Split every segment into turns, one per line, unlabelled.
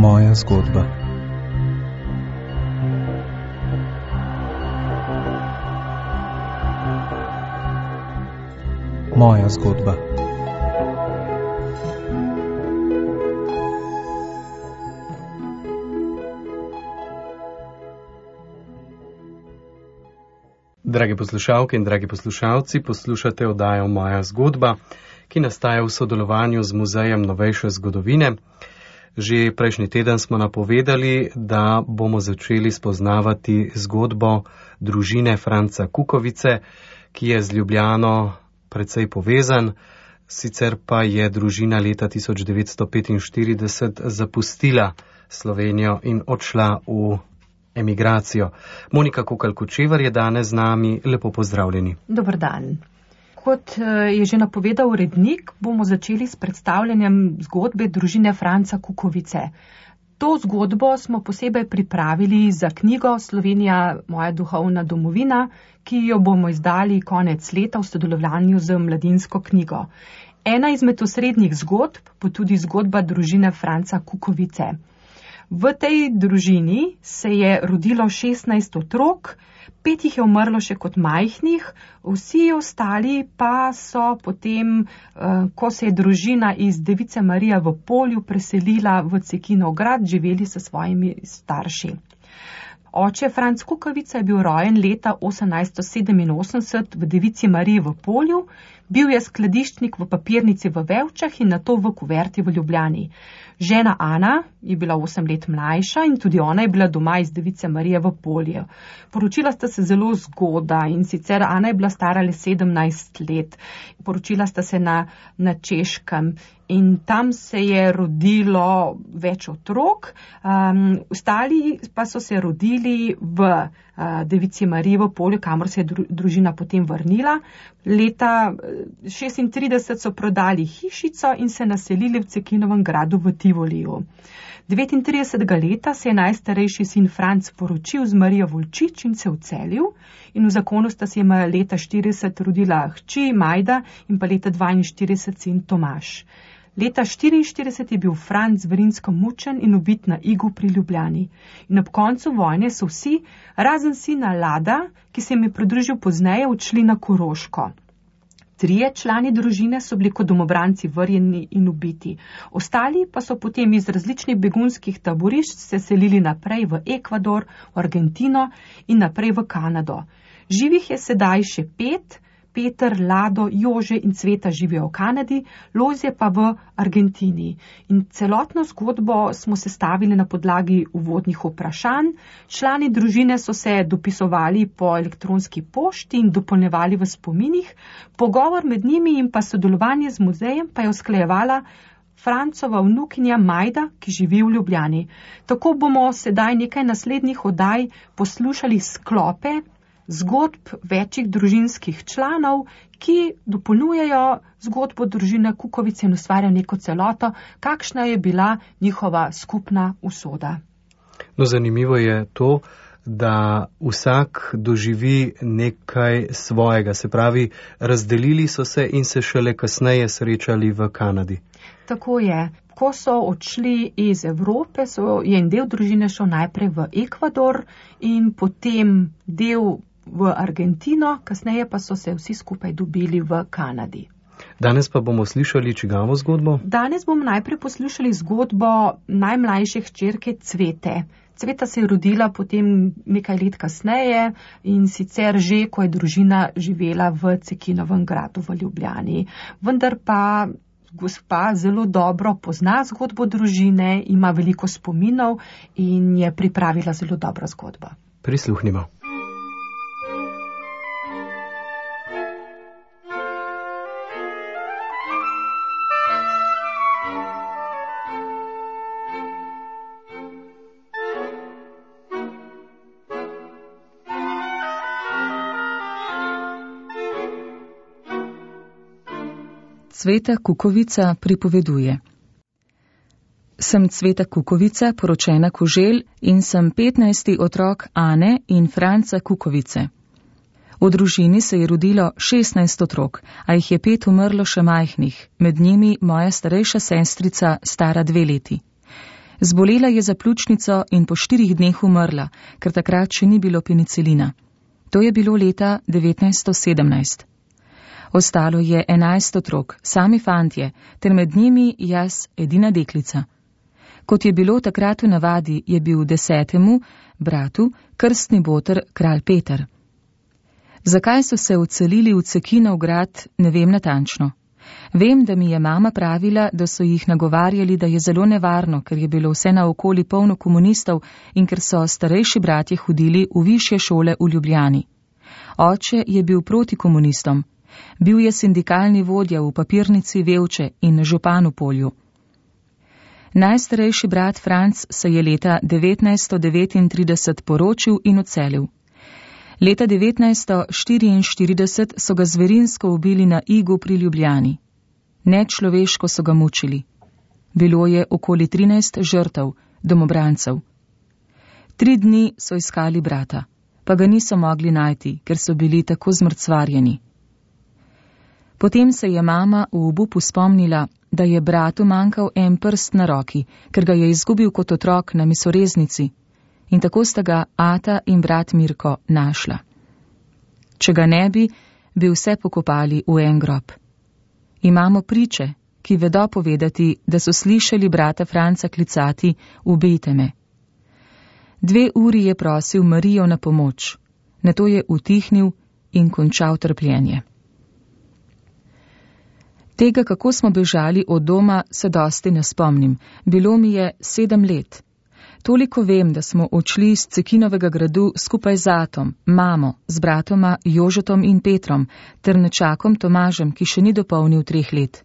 Moja zgodba. Moja zgodba.
Dragi poslušalke in dragi poslušalci, poslušate oddajo Moja zgodba, ki nastaja v sodelovanju z Muzejem novejše zgodovine. Že prejšnji teden smo napovedali, da bomo začeli spoznavati zgodbo družine Franca Kukovice, ki je z Ljubljano precej povezan, sicer pa je družina leta 1945 zapustila Slovenijo in odšla v emigracijo. Monika Kokalj-Kočevar je danes z nami, lepo pozdravljeni.
Dober dan. Kot je že napovedal urednik, bomo začeli s predstavljanjem zgodbe družine Franca Kukovice. To zgodbo smo posebej pripravili za knjigo Slovenija, moja duhovna domovina, ki jo bomo izdali konec leta v sodelovanju z Mladinsko knjigo. Ena izmed osrednjih zgodb bo tudi zgodba družine Franca Kukovice. V tej družini se je rodilo 16 otrok, 5 jih je umrlo še kot majhnih, vsi ostali pa so potem, ko se je družina iz Device Marije v Polju preselila v Cekinov grad, živeli s svojimi starši. Oče Franc Kukovica je bil rojen leta 1887 v Devici Mariji v Polju, bil je skladiščnik v papirnici v Vevčah in nato v Kuverti v Ljubljani. Žena Ana je bila 8 let mlajša in tudi ona je bila doma iz Device Marije v Polju. Poročila sta se zelo zgodaj in sicer Ana je bila stara le 17 let. Poročila sta se na Češkem in tam se je rodilo več otrok, ostali pa so se rodili v Devici Mariji v Polju, kamor se je družina potem vrnila. Leta 1936 so prodali hišico in se naselili v Cekinovem gradu v Tivoliju. 39. leta se je najstarejši sin Franc poročil z Marijo Volčič in se vcelil in v zakonu sta se jima leta 40 rodila hči Majda in pa leta 42 sin Tomaž. Leta 44 je bil Franc Vrinsko mučen in ubit na Igu pri Ljubljani. In ob koncu vojne so vsi, razen sina Lada, ki se jim je pridružil pozneje, odšli na Koroško. 3 člani družine so bili kot domobranci vrjeni in ubiti. Ostali pa so potem iz različnih begunskih taborišč se selili naprej v Ekvador, v Argentino in naprej v Kanado. Živih je sedaj še 5, Peter, Lado, Jože in Cveta živijo v Kanadi, Lojzje pa v Argentini. In celotno zgodbo smo sestavili na podlagi uvodnih vprašanj. Člani družine so se dopisovali po elektronski pošti in dopolnjevali v spominih. Pogovor med njimi in pa sodelovanje z muzejem pa je usklajevala Francova vnukinja Majda, ki živi v Ljubljani. Tako bomo sedaj nekaj naslednjih oddaj poslušali sklope zgodb večjih družinskih članov, ki dopolnjujejo zgodbo družine Kukovice in ustvarjajo neko celoto, kakšna je bila njihova skupna usoda.
No, zanimivo je to, da vsak doživi nekaj svojega, se pravi, razdelili so se in se šele kasneje srečali v Kanadi.
Tako je. Ko so odšli iz Evrope, je en del družine šel najprej v Ekvador in potem del v Argentino, kasneje pa so se vsi skupaj dobili v Kanadi.
Danes pa bomo slišali čigavo zgodbo?
Danes bomo najprej poslušali zgodbo najmlajše hčerke Cvete. Cveta se je rodila potem nekaj let kasneje in sicer že, ko je družina živela v Cekinovem gradu v Ljubljani. Vendar pa gospa zelo dobro pozna zgodbo družine, ima veliko spominov in je pripravila zelo dobro zgodbo.
Prisluhnimo.
Cveta Kukovica pripoveduje. Sem Cveta Kukovica, poročena Koželj in sem 15. otrok Ane in Franca Kukovice. V družini se je rodilo 16 otrok, a jih je 5 umrlo še majhnih, med njimi moja starejša sestrica, stara 2 leti. Zbolela je za pljučnico in po 4 dneh umrla, ker takrat še ni bilo penicilina. To je bilo leta 1917. Ostalo je 11 otrok, sami fantje, ter med njimi jaz, edina deklica. Kot je bilo takrat v navadi, je bil 10. bratu krstni boter kralj Peter. Zakaj so se odselili v Cekinov grad, ne vem natančno. Vem, da mi je mama pravila, da so jih nagovarjali, da je zelo nevarno, ker je bilo vse naokoli polno komunistov in ker so starejši bratje hodili v višje šole v Ljubljani. Oče je bil proti komunistom. Bil je sindikalni vodja v papirnici Vevče in župan v Polju. Najstarejši brat Franc se je leta 1939 poročil in odselil. Leta 1944 so ga zverinsko ubili na Igu pri Ljubljani. Nečloveško so ga mučili. Bilo je okoli 13 žrtev, domobrancev. 3 dni so iskali brata, pa ga niso mogli najti, ker so bili tako zmrcvarjeni. Potem se je mama v obupu spomnila, da je bratu manjkal en prst na roki, ker ga je izgubil kot otrok na misoreznici, in tako sta ga ata in brat Mirko našla. Če ga ne bi, bi vse pokopali v en grob. Imamo priče, ki vedo povedati, da so slišali brata Franca klicati: ubijte me. 2 uri je prosil Marijo na pomoč, nato je utihnil in končal trpljenje. Tega, kako smo bežali od doma, se dosti ne spomnim. Bilo mi je 7 let. Toliko vem, da smo odšli iz Cekinovega gradu skupaj z atom, mamo, z bratoma Jožetom in Petrom, ter nečakom Tomažem, ki še ni dopolnil 3 let.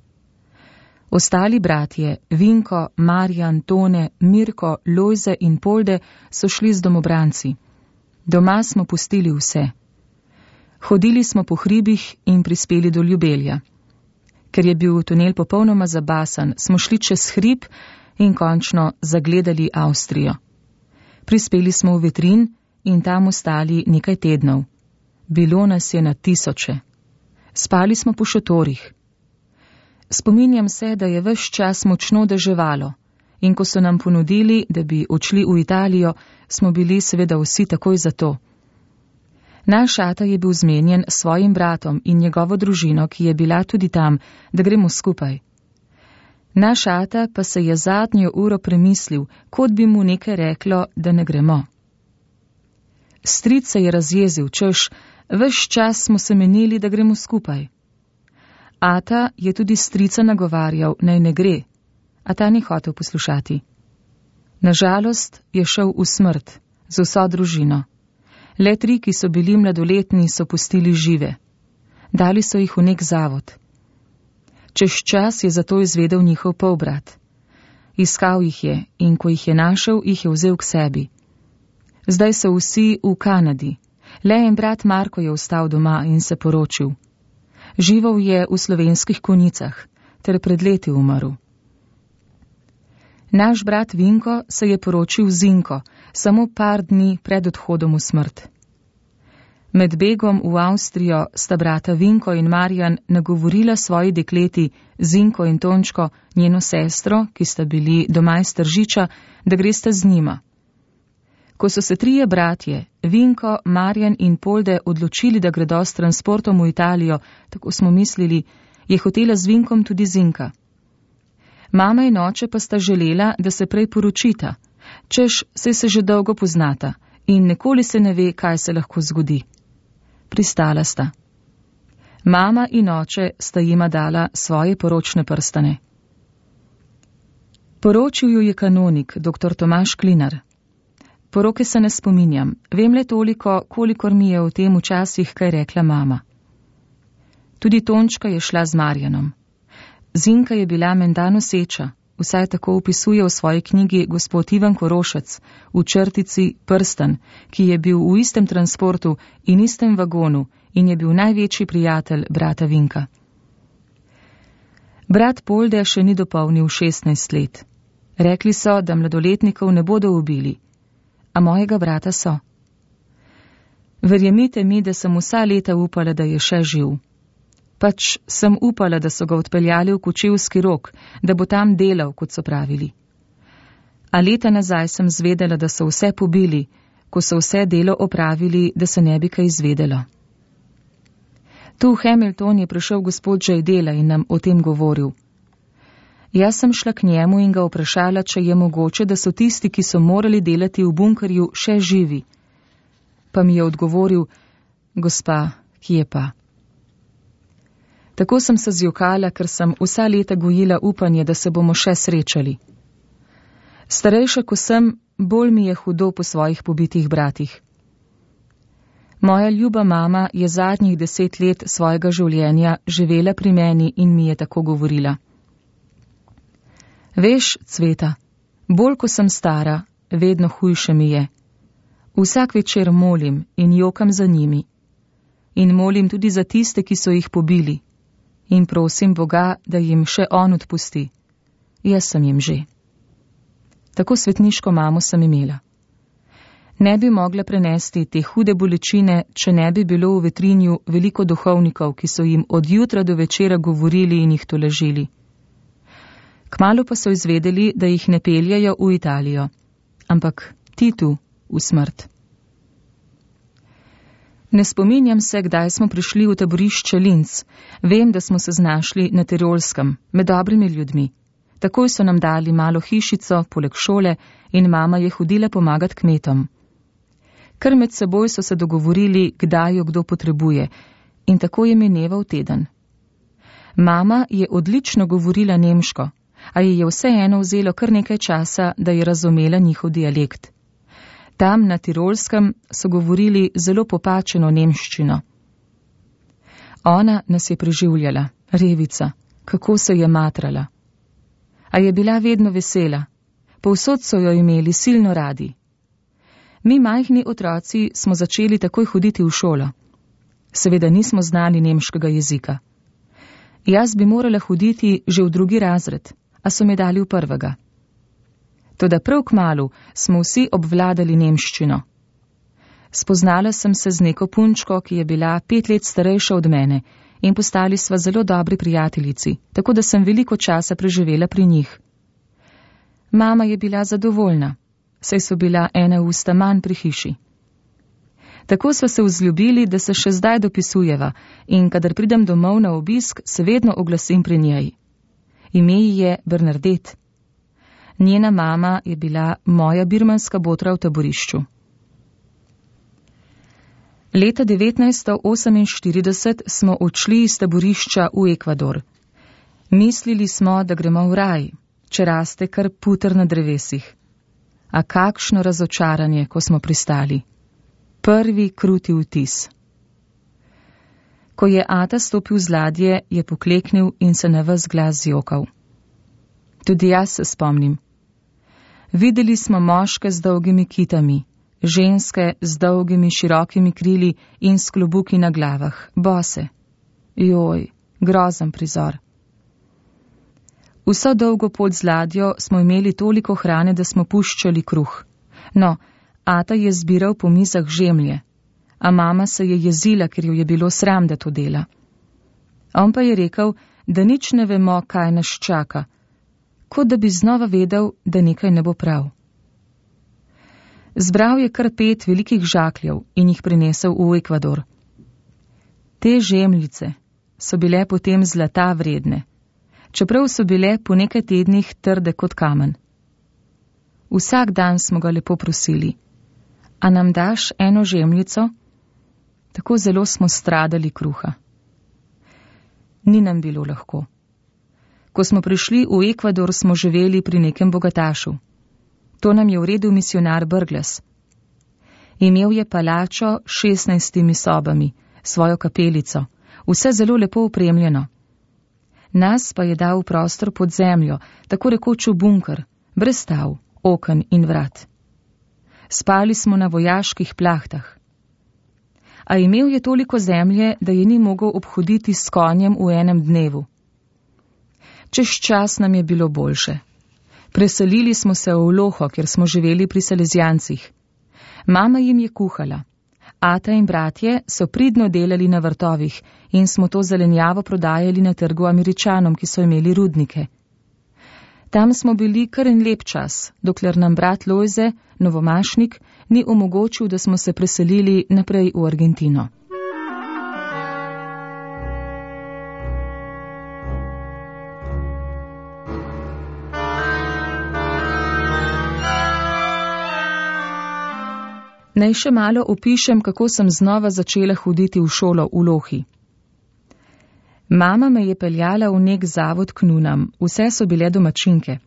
Ostali bratje, Vinko, Marjan, Tone, Mirko, Lojze in Polde, so šli z domobranci. Doma smo pustili vse. Hodili smo po hribih in prispeli do Ljubelja. Ker je bil tunel popolnoma zabasan, smo šli čez hrib in končno zagledali Avstrijo. Prispeli smo v Vetrin in tam ostali nekaj tednov. Bilo nas je na tisoče. Spali smo po šotorih. Spominjam se, da je ves čas močno deževalo in ko so nam ponudili, da bi odšli v Italijo, smo bili seveda vsi takoj za to. Naš ata je bil zmenjen s svojim bratom in njegovo družino, ki je bila tudi tam, da gremo skupaj. Naš ata pa se je zadnjo uro premislil, kot bi mu nekaj reklo, da ne gremo. Stric se je razjezil, češ, ves čas smo se menili, da gremo skupaj. Ata je tudi strica nagovarjal, naj ne gre, a ta ni hotel poslušati. Nažalost je šel v smrt z vso družino. Le 3, ki so bili mladoletni, so pustili žive. Dali so jih v nek zavod. Čez čas je zato izvedel njihov polbrat. Iskal jih je in ko jih je našel, jih je vzel k sebi. Zdaj so vsi v Kanadi. Le en brat Marko je ostal doma in se poročil. Živel je v Slovenskih Konjicah ter pred leti umrl. Naš brat Vinko se je poročil z Zinko, samo par dni pred odhodom v smrt. Med begom v Avstrijo sta brata Vinko in Marjan nagovorila svoji dekleti, Zinko in Tončko, njeno sestro, ki sta bili doma iz Tržiča, da gresta z njima. Ko so se 3 bratje, Vinko, Marjan in Polde, odločili, da gredo s transportom v Italijo, tako smo mislili, je hotela z Vinkom tudi Zinka. Mama in oče pa sta želela, da se prej poročita, češ saj se že dolgo poznata in nikoli se ne ve, kaj se lahko zgodi. Pristala sta. Mama in oče sta jima dala svoje poročne prstane. Poročil ju je kanonik, dr. Tomaž Klinar. Poroke se ne spominjam, vem le toliko, kolikor mi je o tem včasih kaj rekla mama. Tudi Tončka je šla z Marjanom. Zinka je bila menda noseča, vsaj tako opisuje v svoji knjigi gospod Ivan Korošec, v črtici Prstan, ki je bil v istem transportu in istem vagonu in je bil največji prijatelj brata Vinka. Brat Polde še ni dopolnil 16 let. Rekli so, da mladoletnikov ne bodo ubili, a mojega brata so. Verjemite mi, da sem vsa leta upala, da je še živ. Pač sem upala, da so ga odpeljali v Kočevski Rog, da bo tam delal, kot so pravili. A leta nazaj sem zvedela, da so vse pobili, ko so vse delo opravili, da se ne bi kaj izvedelo. Tu v Hamilton je prišel gospod Jaydela in nam o tem govoril. Jaz sem šla k njemu in ga vprašala, če je mogoče, da so tisti, ki so morali delati v bunkerju, še živi. Pa mi je odgovoril, gospa, kje pa? Tako sem se zjokala, ker sem vsa leta gojila upanje, da se bomo še srečali. Starejša, ko sem, bolj mi je hudo po svojih pobitih bratih. Moja ljuba mama je zadnjih 10 let svojega življenja živela pri meni in mi je tako govorila. Veš, Cveta, bolj ko sem stara, vedno hujše mi je. Vsak večer molim in jokam za njimi. In molim tudi za tiste, ki so jih pobili. In prosim Boga, da jim še on odpusti. Jaz sem jim že. Tako svetniško mamo sem imela. Ne bi mogla prenesti te hude bolečine, če ne bi bilo v Vetrinju veliko duhovnikov, ki so jim od jutra do večera govorili in jih tolažili. Kmalu pa so izvedeli, da jih ne peljajo v Italijo, ampak Titu v smrt. Ne spominjam se, kdaj smo prišli v taborišče Linz. Vem, da smo se znašli na Tirolskem, med dobrimi ljudmi. Takoj so nam dali malo hišico, poleg šole, in mama je hodila pomagat kmetom. Kar med seboj so se dogovorili, kdaj jo kdo potrebuje, in tako je mineval teden. Mama je odlično govorila nemško, a ji je vseeno vzelo kar nekaj časa, da je razumela njihov dialekt. Tam na Tirolskem so govorili zelo popačeno nemščino. Ona nas je preživljala, revica, kako se je matrala. A je bila vedno vesela, povsod so jo imeli silno radi. Mi majhni otroci smo začeli takoj hoditi v šolo. Seveda nismo znali nemškega jezika. Jaz bi morala hoditi že v 2. razred, a so me dali v 1. Toda prav kmalu smo vsi obvladali nemščino. Spoznala sem se z neko punčko, ki je bila 5 let starejša od mene, in postali sva zelo dobri prijateljici, tako da sem veliko časa preživela pri njih. Mama je bila zadovoljna, saj so bila ena usta manj pri hiši. Tako sva se vzljubili, da se še zdaj dopisujeva, in kadar pridem domov na obisk, se vedno oglasim pri njej. Ime ji je Bernadette. Njena mama je bila moja birmanska botra v taborišču. Leta 1948 smo odšli iz taborišča v Ekvador. Mislili smo, da gremo v raj, če raste kar puter na drevesih. A kakšno razočaranje, ko smo pristali. Prvi kruti vtis. Ko je ata stopil z ladje, je pokleknil in se na ves glas zjokal. Tudi jaz se spomnim. Videli smo moške z dolgimi kitami, ženske z dolgimi širokimi krili in s klobuki na glavah, bose. Joj, grozen prizor. Vso dolgo pot z ladjo smo imeli toliko hrane, da smo puščali kruh. No, ata je zbiral po mizah žemlje, a mama se je jezila, ker jo je bilo sram, da to dela. On pa je rekel, da nič ne vemo, kaj nas čaka, kot da bi znova vedel, da nekaj ne bo prav. Zbral je kar 5 velikih žakljev in jih prinesel v Ekvador. Te žemljice so bile potem zlata vredne, čeprav so bile po nekaj tednih trde kot kamen. Vsak dan smo ga lepo prosili, a nam daš eno žemljico? Tako zelo smo stradali kruha. Ni nam bilo lahko. Ko smo prišli v Ekvador, smo živeli pri nekem bogatašu. To nam je uredil misionar Brgles. Imel je palačo s 16 sobami, svojo kapelico, vse zelo lepo opremljeno. Nas pa je dal v prostor pod zemljo, tako rekoč v bunker, brez stav, oken in vrat. Spali smo na vojaških plahtah. A imel je toliko zemlje, da je ni mogel obhoditi s konjem v enem dnevu. Čez čas nam je bilo boljše. Preselili smo se v Loho, kjer smo živeli pri Salezijancih. Mama jim je kuhala. Ata in bratje so pridno delali na vrtovih in smo to zelenjavo prodajali na trgu Američanom, ki so imeli rudnike. Tam smo bili kar en lep čas, dokler nam brat Lojze, novomašnik, ni omogočil, da smo se preselili naprej v Argentino. Naj še malo opišem, kako sem znova začela hoditi v šolo v Lohi. Mama me je peljala v nek zavod k nunam, vse so bile domačinke.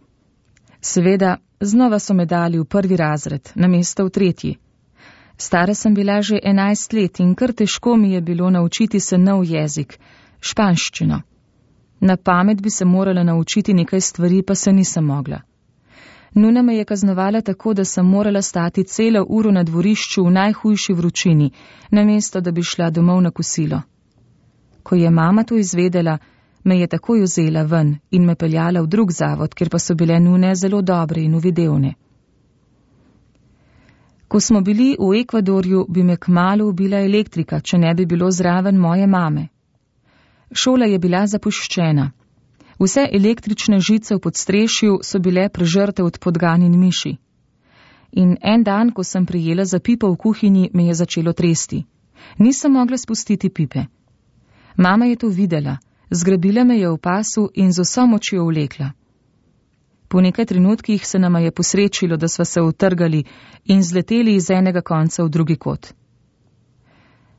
Seveda, znova so me dali v 1. razred, namesto v 3. Stara sem bila že 11 let in kar težko mi je bilo naučiti se nov jezik, španščino. Na pamet bi se morala naučiti nekaj stvari, pa se nisem mogla. Nuna me je kaznovala tako, da sem morala stati celo uro na dvorišču v najhujši vročini, namesto da bi šla domov na kosilo. Ko je mama to izvedela, me je takoj vzela ven in me peljala v drug zavod, kjer pa so bile nune zelo dobre in uvidevne. Ko smo bili v Ekvadorju, bi me kmalu ubila elektrika, če ne bi bilo zraven moje mame. Šola je bila zapuščena. Vse električne žice v podstrešju so bile prežrte od podgan in miši. In en dan, ko sem prijela za pipo v kuhinji, me je začelo tresti. Nisem mogla spustiti pipe. Mama je to videla, zgrabila me je v pasu in z vso močjo vlekla. Po nekaj trenutkih se nama je posrečilo, da sva se utrgali in zleteli iz enega konca v drugi kot.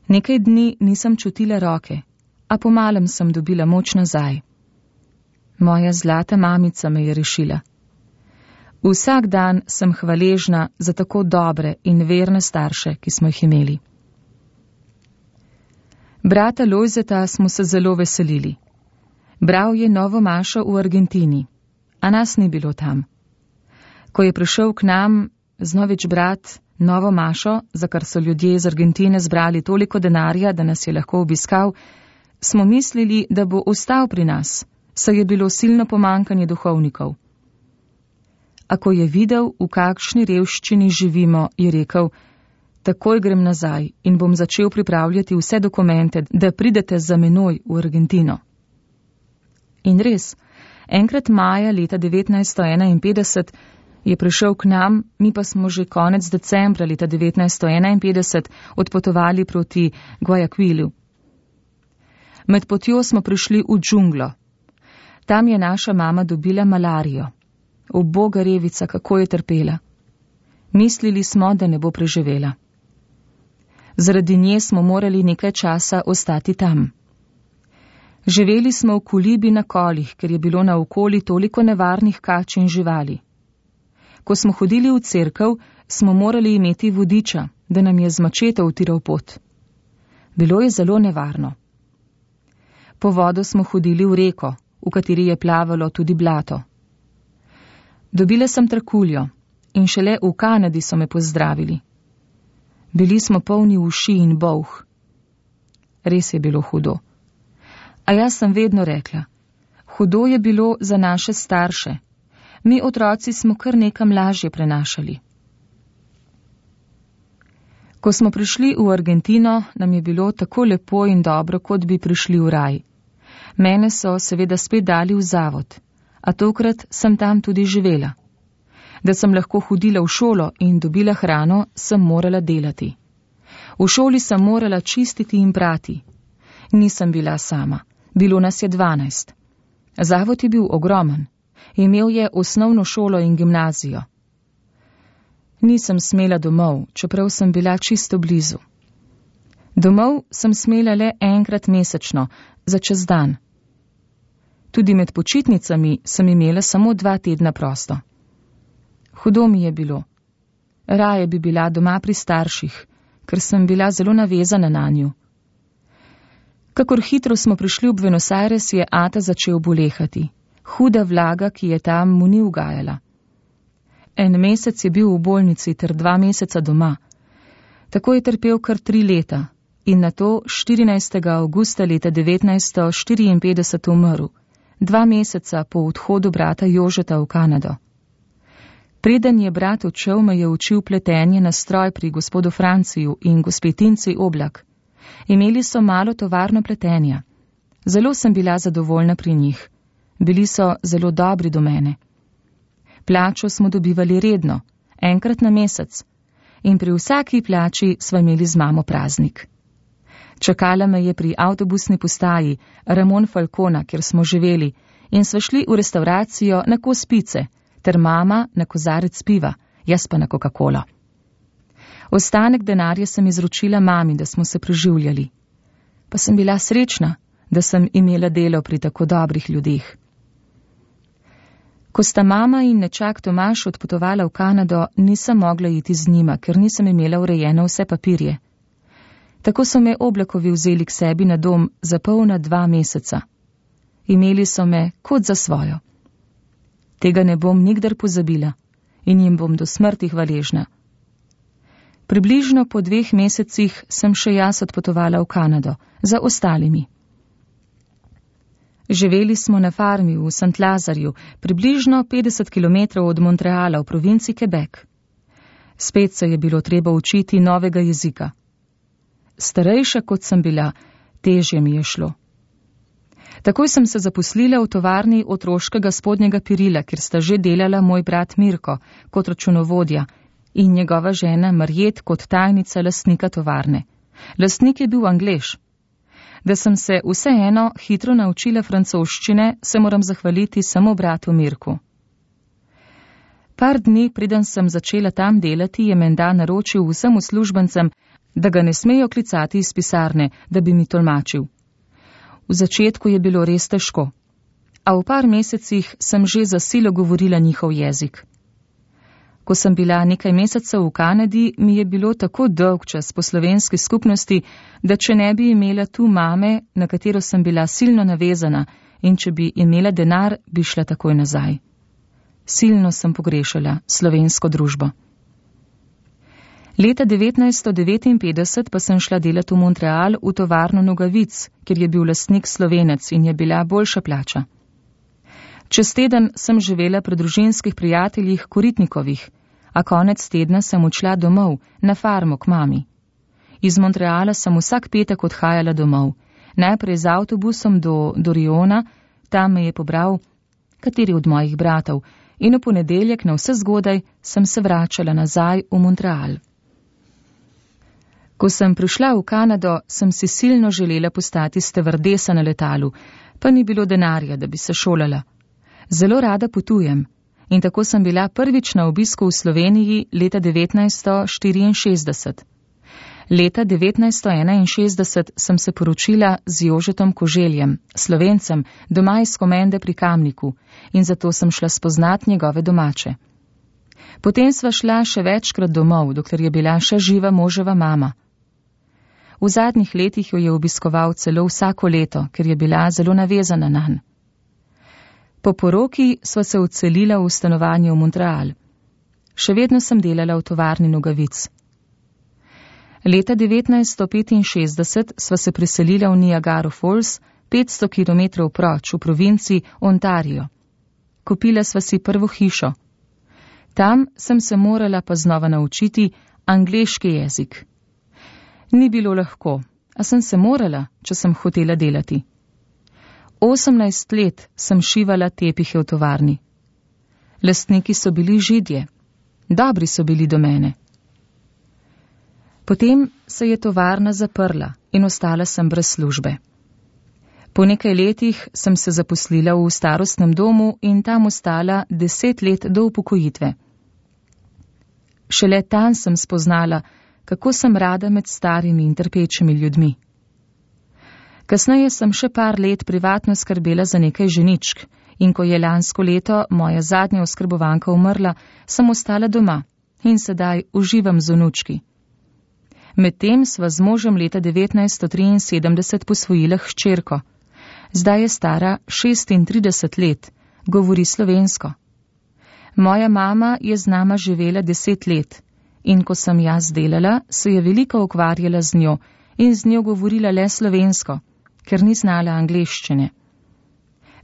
Nekaj dni nisem čutila roke, a pomalem sem dobila moč nazaj. Moja zlata mamica me je rešila. Vsak dan sem hvaležna za tako dobre in verne starše, ki smo jih imeli. Brata Lojzeta smo se zelo veselili. Bral je novo mašo v Argentini, a nas ni bilo tam. Ko je prišel k nam znovič brat novo mašo, za kar so ljudje iz Argentine zbrali toliko denarja, da nas je lahko obiskal, smo mislili, da bo ostal pri nas, saj je bilo silno pomankanje duhovnikov. A ko je videl, v kakšni revščini živimo, je rekel, takoj grem nazaj in bom začel pripravljati vse dokumente, da pridete za menoj v Argentino. In res, enkrat maja leta 1951 je prišel k nam, mi pa smo že konec decembra leta 1951 odpotovali proti Guayaquilu. Med potjo smo prišli v džunglo. Tam je naša mama dobila malarijo. Uboga revica, kako je trpela. Mislili smo, da ne bo preživela. Zaradi nje smo morali nekaj časa ostati tam. Živeli smo v kolibi na kolih, ker je bilo naokoli toliko nevarnih kač in živali. Ko smo hodili v cerkev, smo morali imeti vodiča, da nam je z mačeto utiral pot. Bilo je zelo nevarno. Po vodo smo hodili v reko, v kateri je plavalo tudi blato. Dobila sem trakuljo in šele v Kanadi so me pozdravili. Bili smo polni uši in bolh. Res je bilo hudo. A jaz sem vedno rekla, hudo je bilo za naše starše. Mi otroci smo kar nekam lažje prenašali. Ko smo prišli v Argentino, nam je bilo tako lepo in dobro, kot bi prišli v raj. Mene so seveda spet dali v zavod, a tokrat sem tam tudi živela. Da sem lahko hodila v šolo in dobila hrano, sem morala delati. V šoli sem morala čistiti in prati. Nisem bila sama, bilo nas je 12. Zavod je bil ogromen, imel je osnovno šolo in gimnazijo. Nisem smela domov, čeprav sem bila čisto blizu. Domov sem smela le enkrat mesečno, za čez dan. Tudi med počitnicami sem imela samo 2 tedna prosto. Hudo mi je bilo. Raje bi bila doma pri starših, ker sem bila zelo navezana nanju. Kakor hitro smo prišli v Buenos Aires, je ata začel bolehati. Huda vlaga, ki je tam, mu ni ugajala. 1 mesec je bil v bolnici ter 2 meseca doma. Tako je trpel kar 3 leta in nato 14. avgusta leta 1954 umrl, 2 meseca po odhodu brata Jožeta v Kanado. Preden je brat odšel, me je učil pletenje na stroj pri gospodu Franciju in gospe Tinci Oblak. Imeli so malo tovarno pletenja. Zelo sem bila zadovoljna pri njih. Bili so zelo dobri do mene. Plačo smo dobivali redno, enkrat na mesec, in pri vsaki plači sva imeli z mamo praznik. Čakala me je pri avtobusni postaji Ramon Falcona, kjer smo živeli, in sva šli v restauracijo na kos pice, ter mama na kozarec piva, jaz pa na Coca-Cola. Ostanek denarja sem izročila mami, da smo se preživljali. Pa sem bila srečna, da sem imela delo pri tako dobrih ljudeh. Ko sta mama in nečak Tomaž odpotovala v Kanado, nisem mogla iti z njima, ker nisem imela urejene vse papirje. Tako so me Oblakovi vzeli k sebi na dom za polna 2 meseca. Imeli so me kot za svojo. Tega ne bom nikdar pozabila in jim bom do smrti hvaležna. Približno po 2 mesecih sem še jaz odpotovala v Kanado, za ostalimi. Živeli smo na farmi v St. Lazarju, približno 50 km od Montreala v provinci Quebec. Spet se je bilo treba učiti novega jezika. Starejša kot sem bila, težje mi je šlo. Takoj sem se zaposlila v tovarni otroškega spodnjega perila, kjer sta že delala moj brat Mirko kot računovodja in njegova žena Marjet kot tajnica lastnika tovarne. Lastnik je bil Anglež. Da sem se vseeno hitro naučila francoščine, se moram zahvaliti samo bratu Mirku. Par dni, preden sem začela tam delati, je menda naročil vsem uslužbencem, da ga ne smejo klicati iz pisarne, da bi mi tolmačil. V začetku je bilo res težko, a v par mesecih sem že za silo govorila njihov jezik. Ko sem bila nekaj mesecev v Kanadi, mi je bilo tako dolg čas po slovenski skupnosti, da če ne bi imela tu mame, na katero sem bila silno navezana, in če bi imela denar, bi šla takoj nazaj. Silno sem pogrešala slovensko družbo. Leta 1959 pa sem šla delati v Montreal v tovarno nogavic, kjer je bil lastnik Slovenec in je bila boljša plača. Čez teden sem živela pri družinskih prijateljih Koritnikovih, a konec tedna sem odšla domov, na farmo k mami. Iz Montreala sem vsak petek odhajala domov, najprej z avtobusom do Doriona, tam me je pobral kateri od mojih bratov, in v ponedeljek na vse zgodaj sem se vračala nazaj v Montreal. Ko sem prišla v Kanado, sem si silno želela postati stevardesa na letalu, pa ni bilo denarja, da bi se šolala. Zelo rada potujem in tako sem bila prvič na obisku v Sloveniji leta 1964. Leta 1961 sem se poročila z Jožetom Koželjem, Slovencem, doma iz Komende pri Kamniku, in zato sem šla spoznat njegove domače. Potem sva šla še večkrat domov, dokler je bila še živa moževa mama. V zadnjih letih jo je obiskoval celo vsako leto, ker je bila zelo navezana nanj. Po poroki sva se odselila v stanovanje v Montreal. Še vedno sem delala v tovarni nogavic. Leta 1965 sva se preselila v Niagara Falls, 500 km proč v provinci Ontario. Kupila sva si prvo hišo. Tam sem se morala pa znova naučiti angleški jezik. Ni bilo lahko, a sem se morala, če sem hotela delati. 18 let sem šivala tepihe v tovarni. Lastniki so bili Židje. Dobri so bili do mene. Potem se je tovarna zaprla in ostala sem brez službe. Po nekaj letih sem se zaposlila v starostnem domu in tam ostala 10 let do upokojitve. Šele tam sem spoznala, kako sem rada med starimi in trpečimi ljudmi. Kasneje sem še par let privatno skrbela za nekaj ženičk in ko je lansko leto moja zadnja oskrbovanka umrla, sem ostala doma in sedaj uživam z vnučki. Medtem sva z možem leta 1973 posvojila hčerko. Zdaj je stara 36 let, govori slovensko. Moja mama je z nama živela 10 let in ko sem jaz delala, se je veliko ukvarjala z njo in z njo govorila le slovensko, ker ni znala angleščine.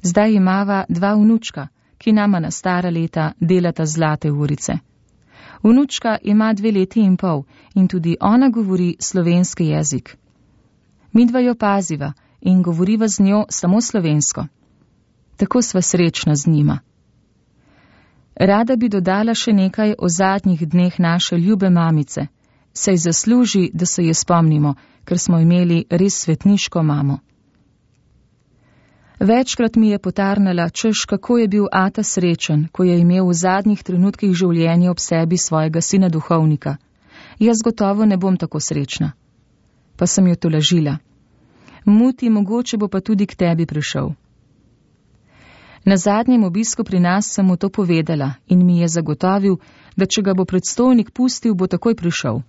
Zdaj imava 2 vnučka, ki nama na stara leta delata zlate urice. Vnučka ima 2 leti in pol in tudi ona govori slovenski jezik. Midva jo paziva in govoriva z njo samo slovensko. Tako sva srečna z njima. Rada bi dodala še nekaj o zadnjih dneh naše ljube mamice. Saj zasluži, da se je spomnimo, ker smo imeli res svetniško mamo. Večkrat mi je potarnala, češ kako je bil ata srečen, ko je imel v zadnjih trenutkih življenja ob sebi svojega sina duhovnika. Jaz gotovo ne bom tako srečna. Pa sem jo tolažila. Muti, mogoče bo pa tudi k tebi prišel. Na zadnjem obisku pri nas sem mu to povedala in mi je zagotovil, da če ga bo predstojnik pustil, bo takoj prišel.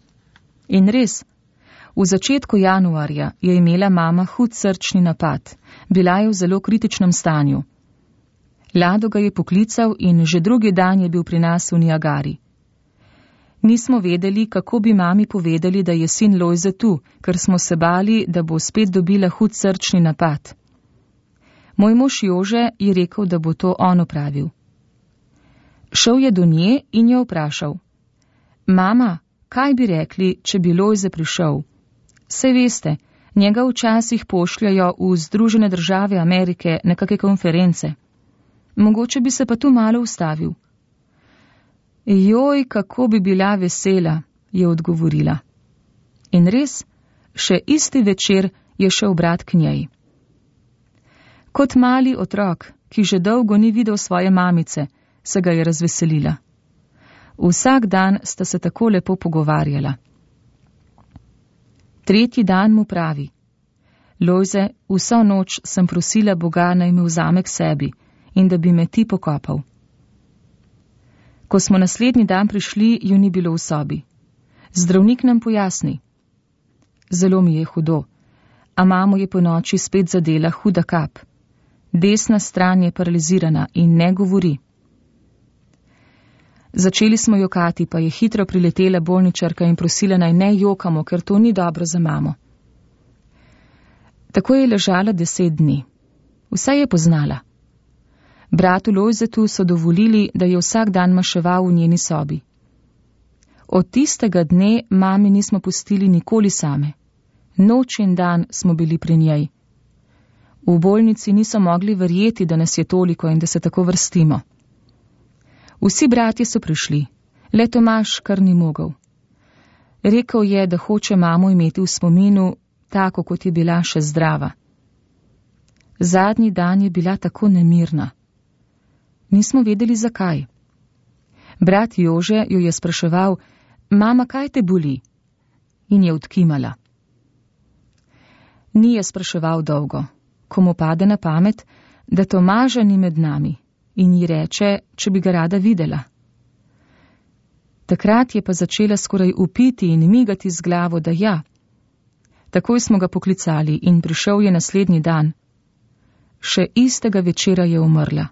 In res, v začetku januarja je imela mama hud srčni napad, bila je v zelo kritičnem stanju. Lado ga je poklical in že drugi dan je bil pri nas v Niagari. Nismo vedeli, kako bi mami povedali, da je sin Lojze tu, ker smo se bali, da bo spet dobila hud srčni napad. Moj mož Jože je rekel, da bo to on opravil. Šel je do nje in jo vprašal: Mama, kaj bi rekli, če bi Lojze prišel? Saj veste, njega včasih pošljajo v Združene države Amerike na kakšne konference. Mogoče bi se pa tu malo ustavil. Joj, kako bi bila vesela, je odgovorila. In res, še isti večer je šel brat k njej. Kot mali otrok, ki že dolgo ni videl svoje mamice, se ga je razveselila. Vsak dan sta se tako lepo pogovarjala. Tretji dan mu pravi: Lojze, vso noč sem prosila Boga, naj me vzame k sebi in da bi me ti pokopal. Ko smo naslednji dan prišli, ju ni bilo v sobi. Zdravnik nam pojasni: Zelo mi je hudo, a mamo je po noči spet zadela huda kap. Desna stran je paralizirana in ne govori. Začeli smo jokati, pa je hitro priletela bolničarka in prosila, naj ne jokamo, ker to ni dobro za mamo. Tako je ležala 10 dni. Vse je poznala. Bratu Lojzetu so dovolili, da je vsak dan maševal v njeni sobi. Od tistega dne mami nismo pustili nikoli same. Noč in dan smo bili pri njej. V bolnici niso mogli verjeti, da nas je toliko in da se tako vrstimo. Vsi bratje so prišli, le Tomaž kar ni mogel. Rekel je, da hoče mamo imeti v spominu, tako kot je bila še zdrava. Zadnji dan je bila tako nemirna. Nismo vedeli, zakaj. Brat Jože jo je spraševal: Mama, kaj te boli? In je odkimala. Ni je spraševal dolgo, ko mu pade na pamet, da Tomaža ni med nami, in ji reče, če bi ga rada videla. Takrat je pa začela skoraj upiti in migati z glavo, da ja. Takoj smo ga poklicali in prišel je naslednji dan. Še istega večera je umrla.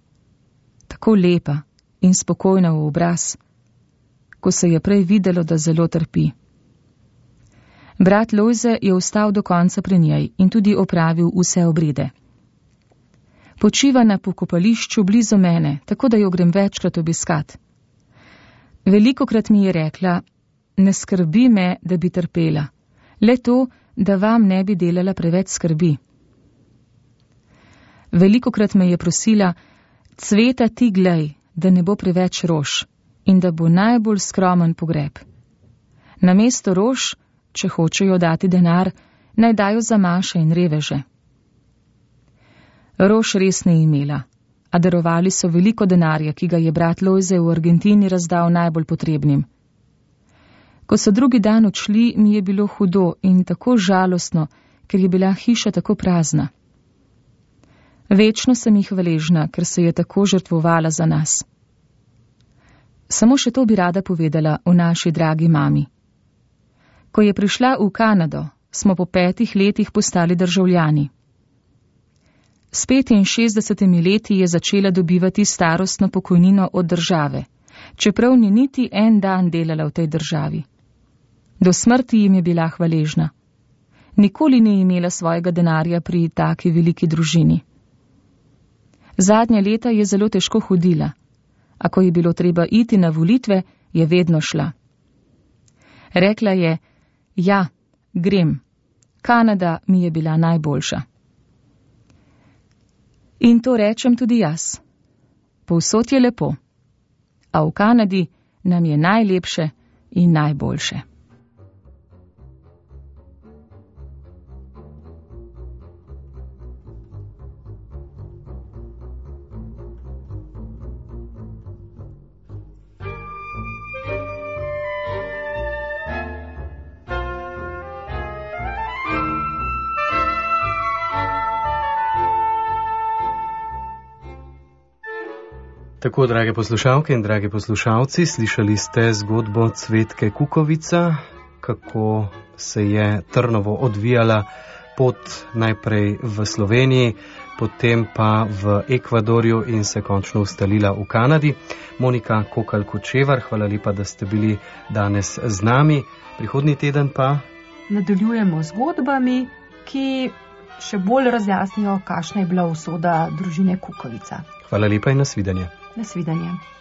Tako lepa in spokojna v obraz, ko se je prej videlo, da zelo trpi. Brat Lojze je ostal do konca pri njej in tudi opravil vse obrede. Počiva na pokopališču blizu mene, tako da jo grem večkrat obiskat. Velikokrat mi je rekla: Ne skrbi me, da bi trpela, le to, da vam ne bi delala preveč skrbi. Velikokrat me je prosila: Cveta, ti glej, da ne bo preveč rož in da bo najbolj skromen pogreb. Namesto rož, če hočejo dati denar, naj dajo za maše in reveže. Rož res ni imela, a darovali so veliko denarja, ki ga je brat Lojze v Argentini razdal najbolj potrebnim. Ko so drugi dan odšli, mi je bilo hudo in tako žalostno, ker je bila hiša tako prazna. Večno sem jih hvaležna, ker se je tako žrtvovala za nas. Samo še to bi rada povedala o naši dragi mami. Ko je prišla v Kanado, smo po 5 letih postali državljani. S 65 leti je začela dobivati starostno pokojnino od države, čeprav ni niti en dan delala v tej državi. Do smrti jim je bila hvaležna. Nikoli ni imela svojega denarja pri taki veliki družini. Zadnja leta je zelo težko hodila, a ko je bilo treba iti na volitve, je vedno šla. Rekla je: Ja, grem. Kanada mi je bila najboljša. In to rečem tudi jaz. Povsod je lepo. a v Kanadi nam je najlepše in najboljše.
Tako, drage poslušalke in dragi poslušalci, slišali ste zgodbo Cvetke Kukovica, kako se je Trnovo odvijala pot najprej v Sloveniji, potem pa v Ekvadorju in se končno ustalila v Kanadi. Monika Kokalj-Kočevar, hvala lepa, da ste bili danes z nami. Prihodnji teden pa
nadaljujemo zgodbami, ki še bolj razjasnijo, kakšna je bila usoda družine Kukovica.
Hvala lepa in nasvidenje.
Nasvidenje.